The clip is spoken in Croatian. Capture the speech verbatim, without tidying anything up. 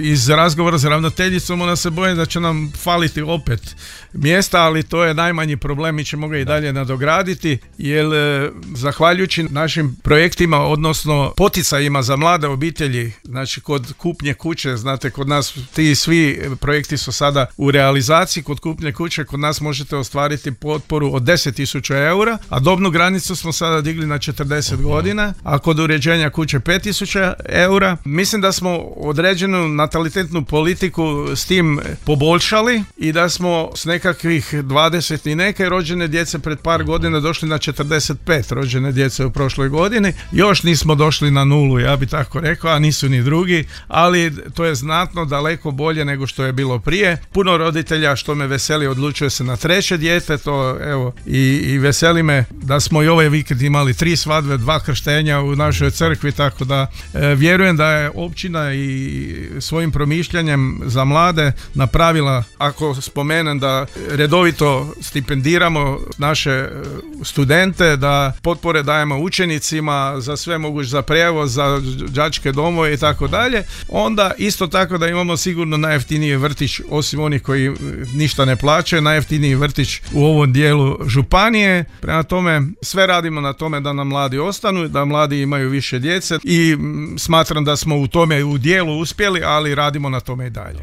iz razgovora s ravnateljicom ona se boje da će nam faliti opet mjesta, ali to je najmanji problem, mi ćemo ga i dalje nadograditi, jer zahvaljujući našim projektima, odnosno poticajima za mlade obitelji, znači kod kupnje kuće, znate, kod nas ti svi projekti su sada u realizaciji, kod kupnje kuće kod nas možete ostvariti potporu od deset tisuća eura, a dobnu granicu smo sada digli na četrdeset godina, a kod uređenja kuće pet tisuća eura. Mislim da smo određenu natalitetnu politiku s tim poboljšali i da smo s nekakvih dvadeset i neke rođene djece pred par godina došli na četrdeset pet rođene djece u prošloj godini. Još nismo došli na nulu, ja bi tako rekao, a nisu ni drugi, ali to je znatno daleko bolje nego što je bilo prije. Puno roditelja, što me veseli, odlučuje se na treće dijete, to evo i, i veseli me da smo i ovaj vikend imali tri svadbe, dva krštenja u našoj crkvi, tako da e, vjerujem da je općina i svojim promišljanjem za mlade napravila, ako spomenem da redovito stipendiramo naše studente, da potpore dajemo učenicima za sve moguće, za prijevoz, za đačke domove i tako dalje, onda isto tako da imamo sigurno najjeftiniji vrtić, osim onih koji ništa ne plaćaju, najjeftiniji vrtić u ovom dijelu županije. Prema tome sve radimo na tome da nam mladi ostanu, da mladi imaju više djece i smatram da smo u tome u dijelu uspjeli, ali radimo na tome i dalje.